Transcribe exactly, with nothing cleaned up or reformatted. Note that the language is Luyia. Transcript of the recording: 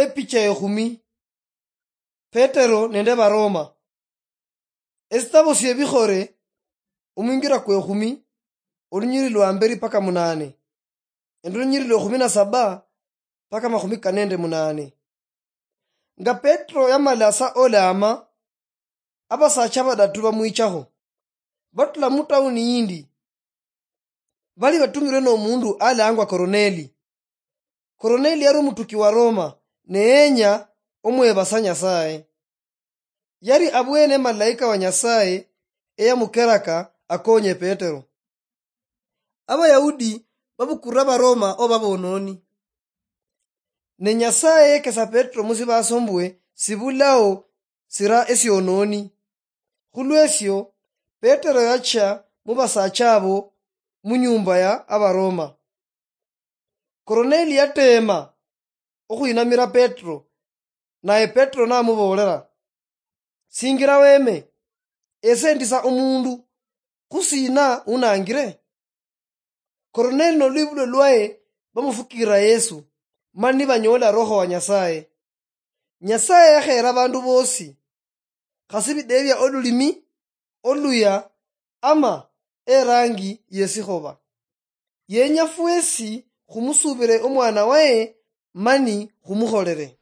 Epicha ekhumi. Petero nende Baroma. Esitabo siebikhore, omwingira kwekhumi, olunyiriri lwa mberi paka munane, nende olunyiriri lwa ekhumi na saba paka makhumi kane nende munane. Nga Petero yamala sa olama, abasacha badatu bamwichakho, batula mutauni yindi. Bali batumirwe nomundu alangwa Koroneli. Koroneli yali omutuki wa Roma, ne yenya omwebasa Nyasaye. Yali abwene malaika wa Nyasaye eyamukeraka akonye Petero. Abayahudi babukura Baroma oba bononi. Ne Nyasaye yekesa Petero musibaso mbwe sibulao sira esiononi. Khulwesio, Petero yacha mubasacha abo munyumba ya Abaroma. Koroneli yatema okhwinamira Petero, naye Petero namuboolera, "Singira weme, ese ndi sa omundu, khusina unangire?" Koroneli nolwibulo lwaye bamufukirira Yesu, mani banyoola Roho wa Nyasaye. Nyasaye yakheera abandu boosi, khasi bidebya olulimi, oluya, ama erangi yesikhoba. Yenya fwesi khumusuubire omwana waye mani khumukholere.